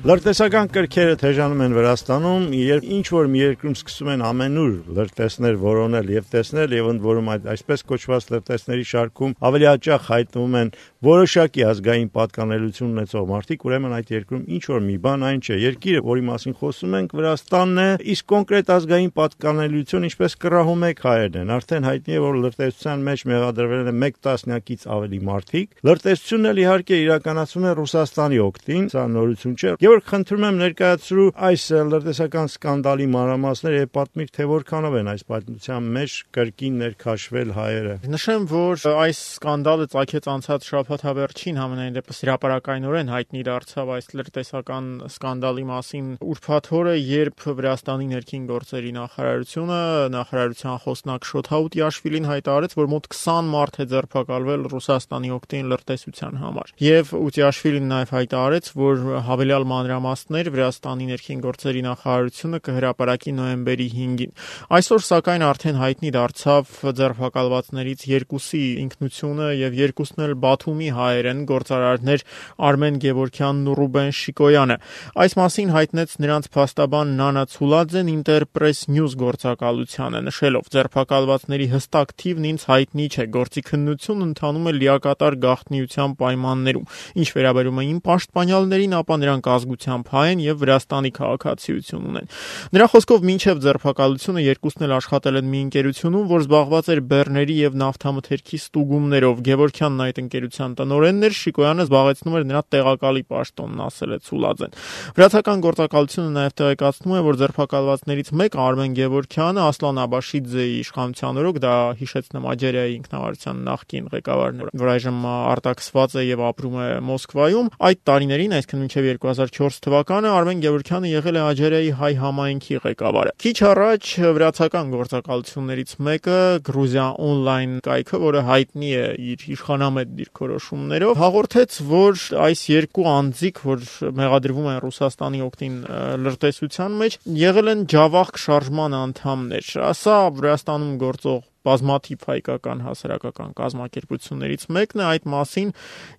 Լրտեսական կրքերը թեժանում են Վրաստանում, երբ ինչ-որ մի երկրում սկսում են ամենուր լրտեսներ որոնել և տեսնել, և ընդ որում այսպես կոչված լրտեսների շարքում ավելի հաճախ հայտնվում են որոշակի ազգային պատկանելություն ունեցող մարդիկ, ուրեմն այդ երկրում ինչ-որ մի բան այն չէ։ Երկիրը, որի մասին խոսում ենք, Վրաստանն է, իսկ կոնկրետ ազգային պատկանելություն, ինչպես կռահում եք հայերն են, արդեն հայտնի է, որ լրտեսության մեջ մեղադրվել են 1 տասնյակից ավելի մարդիկ։ Լրտեսությունն էլ իհարկե իրականացվում է Ռուսաստանի օգտին, սա նորություն չէ։ Գևորգ, խնդրում եմ ներկայացրու այս լրտեսական սկանդալի մանրամասները եւ պատմիր, թե որքանով են այս պատմության մեջ կրկին ներքաշվել հայերը։ Նշեմ, որ այս սկանդալը ծագեց անցած շաբաթ հավերչին, համենայն դեպս հրապարակայնորեն հայտնի դարձավ այս լրտեսական սկանդալի մասին ուրբաթ օրը, երբ Վրաստանի ներքին գործերի նախարարությունը, նախարարության խոսնակ Շոթաուտ Յաշվիլին հայտարարեց, որ մոտ 20 մարդ է ձերբակալվել Ռուսաստանի օգտին լրտեսության համար։ Եվ Յաշվիլին նաև հայտարարեց, որ հավելյալ մանրամասներ Վրաստանի ներքին գործերի նախարարությունը կհրապարակի նոյեմբերի 5-ին։ Այսօր սակայն արդեն հայտնի դարձավ ձերբակալվածներից 2-ի ինքնությունը եւ 2-ն էլ Բաթումի հայեր են, գործարարներ Արմեն Գևորգյանն ու Ռուբեն Շիկոյանը։ Այս մասին հայտնեց նրանց փաստաբան Նանա Ցուլաձեն Interpress News գործակալությանը, նշելով. ձերբակալվածների հստակ թիվն ինձ հայտնի չէ, գործի քննությունն ընթանում է լիակատար գաղտնիության պայմաններում։ Ինչ վերաբերում է իմ պաշտպանյալներին, ապա նրանք ազգությամբ հայ են եւ Վրաստանի քաղաքացիություն ունեն։ Նրա խոսքով մինչեւ ձերբակալությունը 2-ն էլ աշխատել են մի ընկերությունում, որ զբաղված էր բեռների եւ նավթամթերքի ստուգումներով։ Գևորգյանն այդ ընկերության տնօրենն էր, Շիկոյանը զբաղեցնում էր նրա տեղակալի պաշտոնն, ասել է Ցուլաձեն։ Վրացական գործակալությունը նաեւ տեղեկացնում է, որ ձերբակալվածներից մեկը Արմեն Գևորգյանը Ասլան Աբաշիձեի իշխանության օրոք, դա հիշեցնեմ Աջերիայի ինքնավարության նախկին ղեկավարն է, որ այժմ արտաքսված է եւ ապրում է Մոսկվայում, այդ տարիներին, այսինքն մինչեւ 2004 թվականը Արմեն Գևորգյանը եղել է Աջերիայի հայ համայնքի ղեկավարը։ Քիչ առաջ վրացական գործակալություններից մեկը Գրուզիա on-line կայքը, որը հայտնի է իր իշխանամետ դիրքորոշումներով, հաղորդեց, որ այս երկու անձիկ, որ մեղադրվում են Ռուսաստանի օգտին լրտեսության մեջ, եղել են Ջավախք շարժման անդամներ։ Սա Վրաստանում գործող բազմաթիվ հայկական հասարակական կազմակերպություններից մեկն է, այդ մասին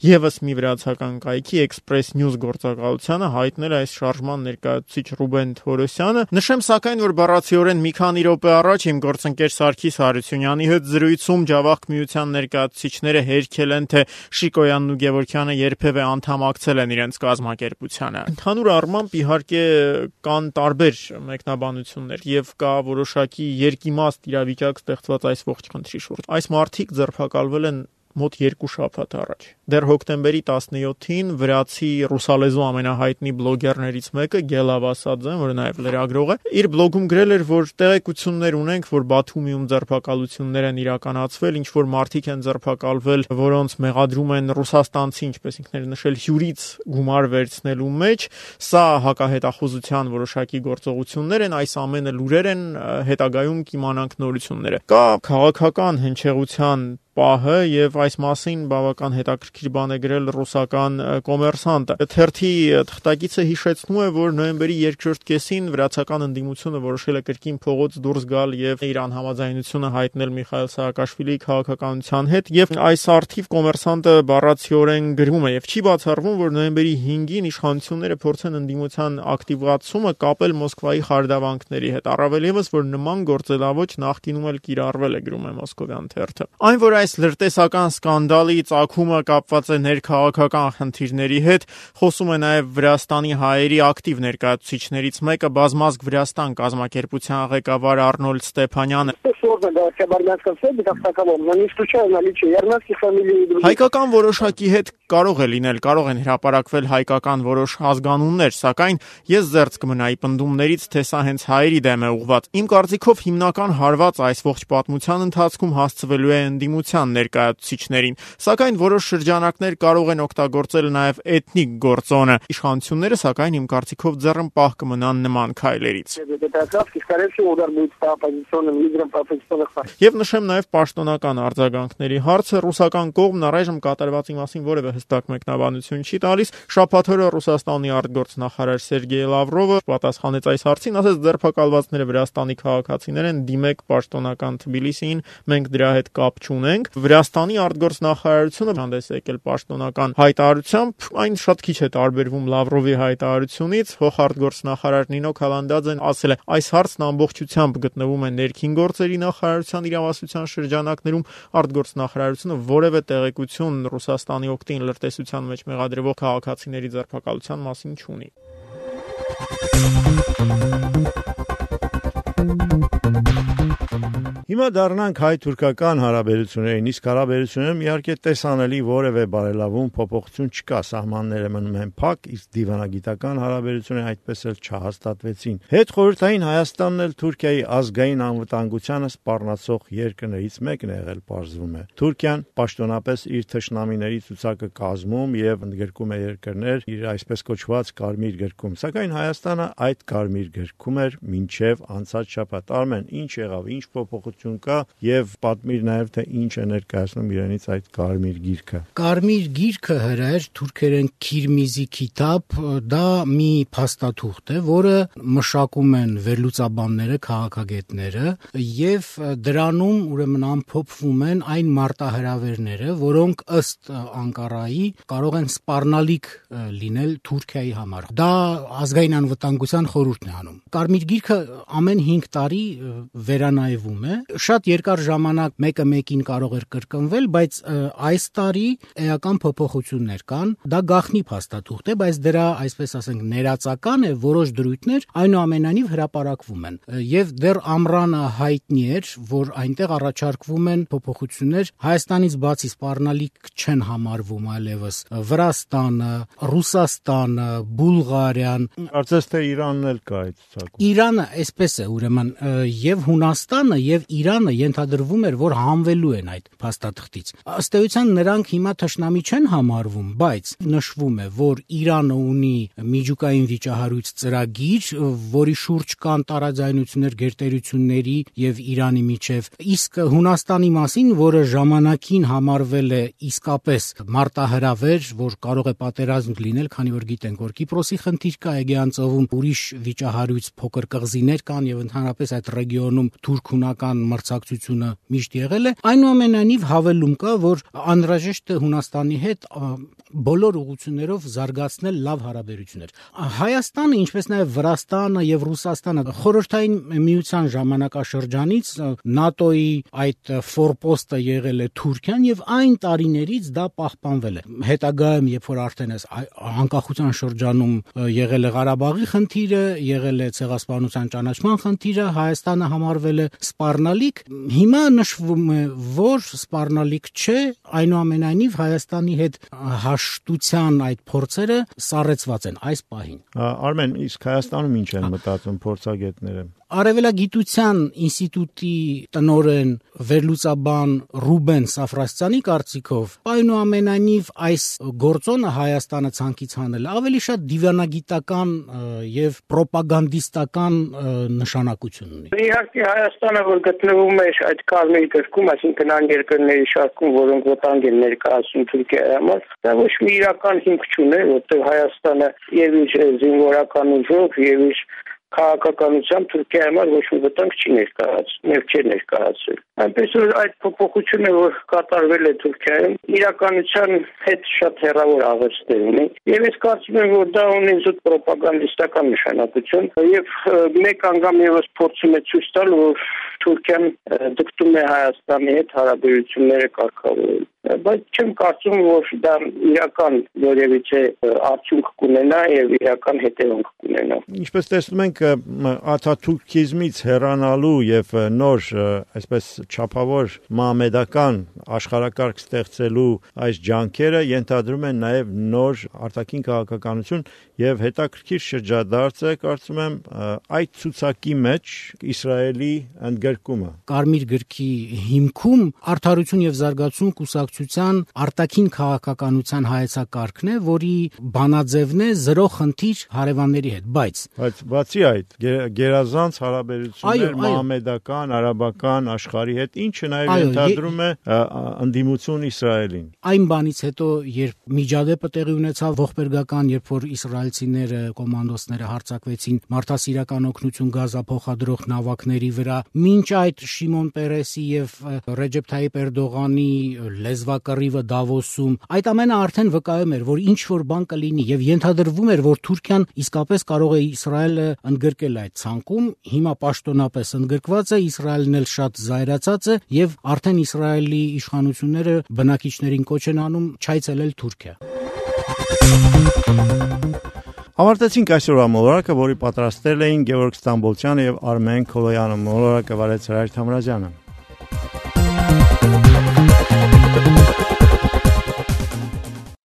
եւս մի վրացական կայքի Express News գործակալությանը հայտնել այս շարժման ներկայացուցիչ Ռուբեն Թորոսյանը։ Նշեմ սակայն, որ բառացիորեն մի քանի րոպե առաջ իմ գործընկեր Սարգիս Հարությունյանի հետ զրույցում Ջավախք միության ներկայացուցիչները հերքել են, թե Շիկոյանն ու Գևորգյանը երբևէ անդամակցել են իրենց կազմակերպությանը։ Ընդհանուր առմամբ իհարկե կան տարբեր մեկնաբանություններ եւ կա որոշակի երկիմաստ իրավիճակ ստեղծված այս ողջ խնդրի շուրջ։ Այս մարդիկ ձերբակալվել են մոտ 2 շաբաթ առաջ։ Դեռ հոկտեմբերի 17-ին վրացի ռուսալեզու ամենահայտնի բլոգերներից մեկը Գելա Վասադզեն, որը նաև լրագրող է, իր բլոգում գրել էր, որ տեղեկություններ ունենք, որ Բաթումիում ձերբակալություններ են իրականացվել, ինչ որ մարդիկ են ձերբակալվել, որոնց մեղադրում են ռուսաստանցի, ինչպես ինքն էր նշել, հյուրից գումար վերցնելու մեջ։ Սա հակահետախուզության որոշակի գործողություններ են, այս ամենը լուրեր են, հետագայում կիմանանք նորությունները։ Կա քաղաքական հնչեղության պահը եւ այս մասին բավական հետաքրքիր բան է գրել ռուսական կոմերսանտը։ Թերթի թղթակիցը հիշեցնում է, որ նոյեմբերի 2-րդ կեսին վրացական ընդդիմությունը որոշել է կրկին փողոց դուրս գալ եւ իր անհամաձայնությունը հայտնել Միխայել Սաակաշվիլիի քաղաքականության հետ, եւ այս արդիվ կոմերսանտը բառացիորեն գրում է եւ չի բացառվում, որ նոյեմբերի 5-ին իշխանությունները փորձեն ընդդիմության ակտիվացումը կապել Մոսկվայի խարդավանքների հետ, առավել եւս, որ նման գործելավոճ նախկինում էլ կիրառվել է, գրում է Մոսկովյան թերթը։ Այն, որ այս լրտեսական սկանդալի ծագումը կապված է ներքաղաքական խնդիրների հետ, խոսում է նաև Վրաստանի հայերի ակտիվ ներկայացուցիչներից մեկը, Բազմազգ Վրաստան կազմակերպության ղեկավար Արնոլդ Ստեփանյանը։ Հայկական որոշակի հետ կարող է լինել, կարող են հրապարակվել հայկական որոշ ազգանուններ, սակայն ես զերծ կմնայի պնդումներից, թե սա հենց հայերի դեմ է ուղղված։ Իմ կարծիքով հիմնական հարված այս ողջ պատմության ընթացքում հասցվելու է ընդդիմության ներկայացուցիչներին, սակայն որոշ շրջանակներ կարող են օգտագործել նաև էթնիկ գործոնը։ Իշխանությունները, սակայն իմ կարծիքով ձեռնպահ կմնան նման քայլերից։ Եվ նշեմ նաև պաշտոնական արձագանքների հարցը, ռուսական կողմն առայժմ կատարվածի մասին որևէ հստակ մեկնաբանություն չի տալիս։ Շաբաթ օրը Ռուսաստանի արտգործնախարար Սերգեյ Լավրովը պատասխանեց այս հարցին, ասաց ձերբակալվածները Վրաստանի քաղաքացիներ են, դիմեք պաշտոնական Թբիլիսիին, մենք դրա հետ կապ չունենք։ խոսենք, Վրաստանի արտգործնախարարությունը հանդես եկել պաշտոնական հայտարարությամբ, այն շատ քիչ է տարբերվում Լավրովի հայտարարությունից, փոխարտգործնախարար Նինո Քալանդաձեն ասել է, այս հարցն ամբողջությամբ գտնվում է ներքին գործերի նախարարության իրավասության շրջանակներում, արտգործնախարարությունը որևէ տեղեկություն Ռուսաստանի օգտին լրտեսության մեջ մեղադրվող քաղաքացիների ձերբակալության մասին չունի։ Հիմա դառնանք հայ-թուրքական հարաբերություններին, իսկ հարաբերություններում իհարկե տեսանելի որևէ բարելավում փոփոխություն չկա, սահմանները մնում են փակ, իսկ դիվանագիտական հարաբերությունները այդպես էլ չհաստատվեցին։ Հետխորհրդային Հայաստանն էլ Թուրքիայի ազգային անվտանգությանը սպառնացող երկրներից մեկն է եղել, պարզվում է։ Թուրքիան պաշտոնապես իր թշնամիների ցուցակը կազմում եւ ընդգրկում է երկրներ իր այսպես կոչված կարմիր գրքում, սակայն Հայաստանը այդ կարմիր գրքում էր մինչեւ անցած շաբաթ։ Արմեն, ինչ եղավ, ինչ փոփոխություն կա եւ պատմիր նաեւ թե ինչ է ներկայացնում իրենից այդ կարմիր գիրքը։ Կարմիր գիրքը հրեր թուրքերեն Քիրմիզի Քիտաբ, դա մի փաստաթուղթ է, որը մշակում են վերլուծաբանները, քաղաքագետները եւ դրանում ուրեմն ամփոփվում են այն մարտահրավերները, որոնք ըստ Անկարայի կարող են սպառնալիք լինել Թուրքիայի համար։ Դա ազգային անվտանգության խորհուրդն է անում։ Կարմիր գիրքը ամեն 5 տարի վերանայվում է։ Շատ երկար ժամանակ մեկը մեկին կարող էր կրկնվել, բայց այս տարի էական փոփոխություններ կան։ Դա գաղտնի փաստաթուղթ է, բայց դրա, այսպես ասենք, ներածական է, որոշ դրույթներ այնուամենայնիվ հրապարակվում են։ Եվ դեռ ամռանը հայտնի էր, որ այնտեղ առաջարկվում են փոփոխություններ Հայաստանից բացի սպառնալիք չեն համարվում այլևս Վրաստանը, Ռուսաստանը, Բուլղարիան։ Կարծես թե Իրանն էլ կա այդ ցուցակում։ Իրանը այսպես է, ուրեմն եւ Հունաստանը եւ Իրանը ենթադրվում էր, որ հանվելու են այդ փաստաթղթից։ Ըստ էության նրանք հիմա թշնամի չեն համարվում, բայց նշվում է, որ Իրանը ունի միջուկային վիճահարույց ծրագիր, որի շուրջ կան տարաձայնություններ գերտերությունների եւ Իրանի միջև, իսկ Հունաստանի մասին, որը ժամանակին համարվել է իսկապես մարտահրավեր, որ կարող է պատերազմ լինել, քանի որ գիտենք, որ Կիպրոսի խնդիր կա Էգեյան ծովում, ուրիշ վիճահարույց փոքր կղզիներ կան եւ ընդհանրապես այդ ռեգիոնում թուրք-հունական մրցակցությունը միշտ եղել է, այնուամենայնիվ հավելում կա, որ անհրաժեշտ է Հունաստանի հետ բոլոր ուղղություններով զարգացնել լավ հարաբերություններ։ Հայաստանը, ինչպես նաև Վրաստանը եւ Ռուսաստանը խորհրդային միության ժամանակաշրջանից ՆԱՏՕ-ի այդ ֆորպոստը եղել է Թուրքիան եւ այն տարիներից դա պահպանվել է։ Հետագայում, երբ որ արդեն անկախության շրջանում եղել է Ղարաբաղի խնդիրը, եղել է ցեղասպանության ճանաչման խնդիրը, Հայաստանը համարվել է սպառնալիք, հիմա նշվում է, որ սպառնալիք չէ, այնուամենայնիվ Հայաստանի հետ հաշտության այդ փորձերը սառեցված են այս պահին։ Արմեն, իսկ Հայաստանում ինչ են մտածում փորձագետները։ Արևելագիտության ինստիտուտի տնօրեն վերլուծաբան Ռուբեն Սաֆրասյանի կարծիքով այնուամենայնիվ այս գործոնը Հայաստանը ցանկից հանել ավելի շատ դիվանագիտական եւ պրոպագանդիստական նշանակություն ունի։ Իհարկե Հայաստանը, որ գտնվում է այդ կարմիր գրքում, այսինքն այն երկրների շարքում, որոնք վտանգ են ներկայացնում Թուրքիայի համար, դա ոչ մի իրական հիմք չունի, որտեղ Հայաստանը եւ իր զինվորական ուժով եւ իր քաղաքականությամբ Թուրքիայի համար ոչ մի վտանգ չի ներկայացրել։ Այնպես որ այդ փոփոխությունը, որ կատարվել է Թուրքիայում, իրականության հետ շատ հեռավոր աղերսներ ունի։ Եվ ես կարծում եմ, որ դա ունի զուտ պրոպագանդիստական նշանակություն եւ մեկ անգամ եւս փորձում է ցույց տալ, որ Թուրքիան դգտում է Հայաստանի հետ հարաբերությունները կարգավորել։ Բայց չեմ կարծում, որ դա իրական որևիցե արդյունք կունենա եւ իրական հետևանք կունենա։ Ինչպես տեսնում ենք, աթաթուրքիզմից հեռանալու եւ նոր, այսպես չափավոր մահմեդական աշխարհակարգ ստեղծելու այս ջանքերը ենթադրում են նաեւ նոր արտաքին քաղաքականություն եւ հետաքրքիր շրջադարձ է, կարծում եմ, այդ ցուցակի մեջ Իսրայելի ընդգրկումը։ Կարմիր գրքի հիմքում արդարություն եւ զարգացում կուսակցության արտաքին քաղաքականության հայեցակարգն է, որի բանաձևն է զրո խնդիր հարևանների հետ, բայց բացի այդ գերազանց հարաբերություններ մահմեդական, արաբական աշխարհի հետ, ինչը նաեւ ենթադրում է ընդդիմություն Իսրայելին։ Այն բանից հետո, երբ միջադեպը տեղի ունեցավ ողբերգական, երբ որ իսրայելցիները, կոմանդոսները հարձակվեցին մարդասիրական օգնություն Գազա փոխադրող նավակների վրա, մի մինչ այդ Շիմոն Պերեսի եւ Ռեջեփ Թայիպ Էրդողանի լեզվակռիվը Դավոսում, այդ ամենը արդեն վկայում էր, որ ինչ որ բան կլինի եւ ենթադրվում էր, որ Թուրքիան իսկապես կարող է Իսրայելը ընդգրկել այդ ցանկում, հիմա պաշտոնապես ընդգրկված է, Իսրայելն էլ շատ զայրացած է եւ արդեն Իսրայելի իշխանությունները բնակիչներին կոչ են անում չայցելել Թուրքիա։ Ավարտեցինք այսօրվա մոլորակը, որի պատրաստել էին Գևորգ Ստամբոլցյանը եւ Արմեն Քոլոյանը։ Մոլորակը վարեց Հրայր Թամրազյանը։